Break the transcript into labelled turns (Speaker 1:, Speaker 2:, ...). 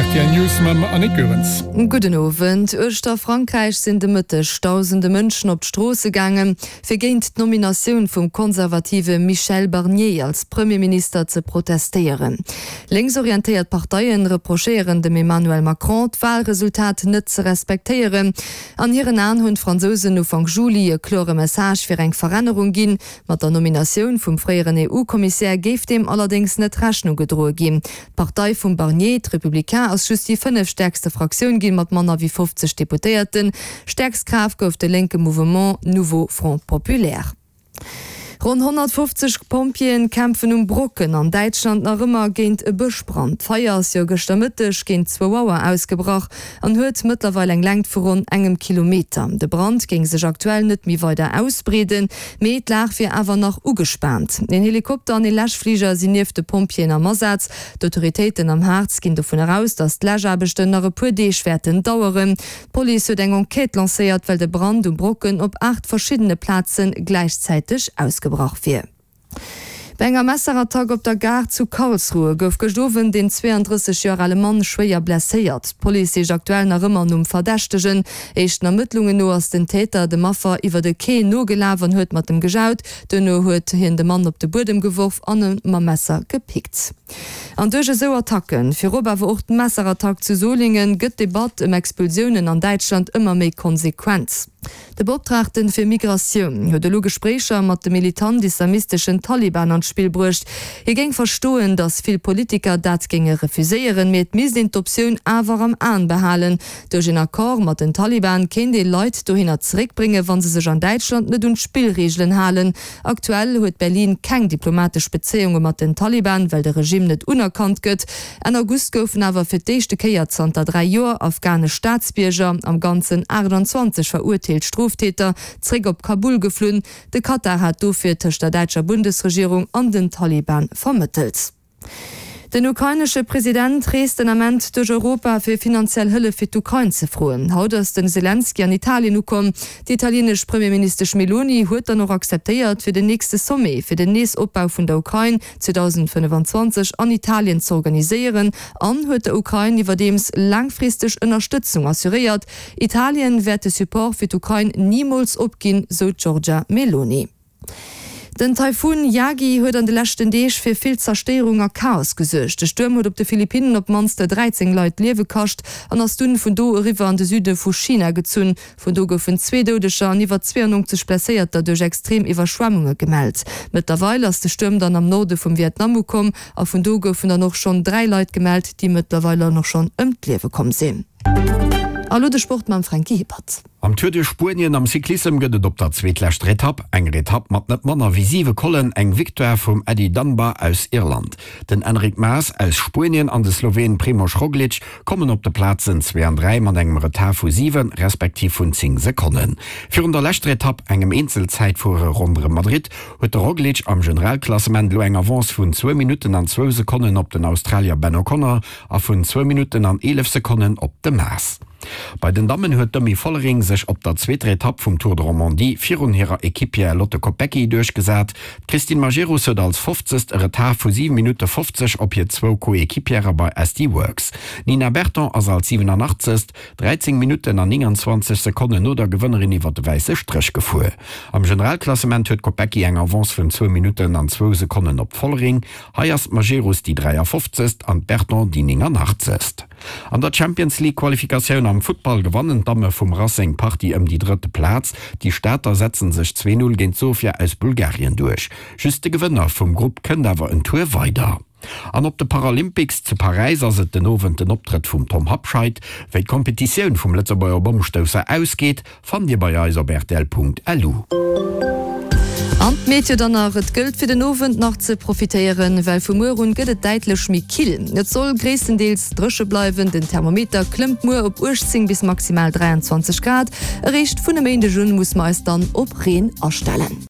Speaker 1: Rtl News mam Annick Goerens.
Speaker 2: Gudden Owend. Uechter Frankräich sinn de Mëtteg dausende Mënschen op d'Stroosse gaangen, fir géint d'Nominatioun vum konservative Michel Barnier als Premierminister ze protestéieren. Lénksorientéiert Parteien reprochéieren dem Emmanuel Macron, d'Walresultat net ze respektéieren. An hiren Aen hunn d'Fransousen Ufank Juli e klore Message fir eng Verännerung ginn. Mat der Nominatioun vum fréieren EU-Kommissär géif deem allerdéngs net Rechnung gedroe ginn. D'Partei vum Barnier, d'Républicains, ass just déi fënnefstäerkste Fraktioun ginn, mat manner wéi 50 Deputéierten. Stäerkst Kraaft gouf de lénke Mouvement Nouveau Front Populaire. Ronn 150 Pompjeeën kämpfen um Brocken an Däitschland nach ëmmer géint e Bëschbrand. D'Feier ass jo gëschter Mëtteg géint zwou Auer ausgebrach an huet mëttlerweil eng Längt vu ronn engem Kilometer. De Brand géing sech aktuell net méi weider ausbreeden, mee d'Lag wier awer nach ugespaant. Een Helikopter an ee Läschfliger sinn nieft de Pompjeeën am Asaz. D'Autoritéiten am Harz ginn dovun aus, datt d'Läschaarbechten nach e puer Deeg wäerten daueren. D'Police huet eng Enquête lancéiert, well de Brand um Brocken op 8 verschiddene Plaze gläichzäiteg ausgebrach wier. Bei enger Messerattack op der Gare zu Karlsruhe gouf gëscht Owend een 32 Joer ale Mann schwéier blesséiert. D'Police sicht aktuell nach ëmmer nom Verdächtegen. Éischten Ermëttlungen no ass den Täter dem Affer iwwer e Quai nogelaf an huet mat em gejaut. Duerno huet hien de Mann op de Buedem geworf an e mam Messer gepickt. An duerch esou Attacken, virop awer och d'Messerattack zu Solingen, gëtt d'Debatt ëm Expulsiounen an Däitschland ëmmer méi konsequent. De Beoptraagten fir Migratioun huet elo Gespréicher mat de militant-islamisteschen Taliban an d'Spill bruecht. Hie géing verstoen, datt vill Politiker dat géinge refuséieren, mee et misst een d'Optioun awer am Aen behalen. Duerch een Accord mat den Taliban kéint ee Leit dohinner zeréckbréngen, wa se sech an Däitschland net un d'Spillreegelen halen. Aktuell huet Berlin keng diplomatesch Bezéiunge mat den Taliban, well de Regimm net unerkannt gëtt. Enn August goufen awer fir d'éischte Kéier zanter 3 Joer afghanesch Staatsbierger, am Ganzen 28 verurteelt Stroftäter, zréck op Kabul geflunn. De Katar hat dofir tëscht der däitscher Bundesregierung an den Taliban vermëttelt. Den ukrainesche President reest den Ament duerch Europa fir finanziell Hëllef fir d'Ukrain ze froen. Haut ass den Selenskyj an Italien ukomm. Déi italienesch Premierministesch Meloni huet dann och akzeptéiert fir den nächste Sommet fir den Neesopbau vun der Ukrain 2025 an Italien z'organiséieren an huet der Ukrain iwwerdeems laangfristeg Ënnerstëtzung assuréiert. Italien wäert de Support fir d'Ukrain nimools opginn, sou d'Giorgia Meloni. Den Taifun Yagi huet an de leschten Deeg fir vill Zerstéierung a Chaos gesuergt. De Stuerm huet op de Philippinnen op d'mannst 13 Leit d'Liewe kascht an ass dunn vun do eriwwer an de Süde vu China gezunn. Vun do goufen zwee Doudeger an iwwer 92 Blesséierter duerch extrem Iwwerschwemmunge gemellt. Mëttlerweil ass de Stuerm dann am Norde vum Vietnam ukomm a vun do goufen dann och schonn 3 Leit gemellt, déi mëttlerweil dann och schonn ëm d'Liewe komm sinn. A lo de Sport mam Franky Hippert.
Speaker 3: Am Tour de Spuenien am Cyclissem gëtt et op der zweetleschter Etapp, enger Etapp mat net manner wéi 7 Collen, eng Victoire vum Eddie Dunbar aus Irland. Den Enric Mas aus Spuenien an de Sloween Primož Roglič kommen op de Plazen zwee an 3 mat engem Retard vu 7 respektiv vun 10 Sekonnen. Virun der leschter Etapp, engem Eenzelzäitfuere ronderëm Madrid, huet de Roglič am Generalklassement elo eng Avance vun zwou Minutten an zwou Sekonnen op den Australier Ben O'Connor a vun zwou Minutten an 11 Sekonnen op de Mas. Bei den Dammen huet d'Demi Vollering sech op der zweeter Etapp vum Tour de Romandie virun hirer Equipière Lotte Kopecky duerchgesat. D'Christine Majerus huet als 50. e Retard vu 7 Minutte 50 op hir zwou Coéquipièrë bei SD Worx. D'Nina Berton ass als 87. 13 Minutten an 29 Sekonnen no der Gewënnerin iwwer de wäisse Stréch gefuer. Am Generalklassement huet d'Kopecky eng Avance vun zwou Minutten an zwou Sekonnen op d'Vollering. Hei ass d'Majerus déi 53. An d'Berton déi 89. An der Champions League Qualifikatioun am Futtball gewannen d'Damme vum Racing d'Partie ëm déi drëtte Plaz. Déi Stater setzen sech 2, 0 géint Sofia aus Bulgarien duerch. Just de Gewënner vum Grupp kënnt awer en Tour weider. An op de Paralympics zu Paräis ass et den Owend den Optrëtt vum Tom Habscheid. Wéi d'Kompetitioun vum Lëtzebuerger Bommstousser ausgeet, Fannt Dir bei eis op rtl.lu.
Speaker 2: An d'Meteo dann nach, Et gëllt fir den Owend nach ze profitéieren, well vu muer un gëtt et däitlech méi kill. Et soll gréisstendeels dréche bleiwen, den Thermometer klëmmt muer op 18 bis maximal 23 Grad. Eréischt vun e Méindeg un muss mer eis dann op Reen astellen.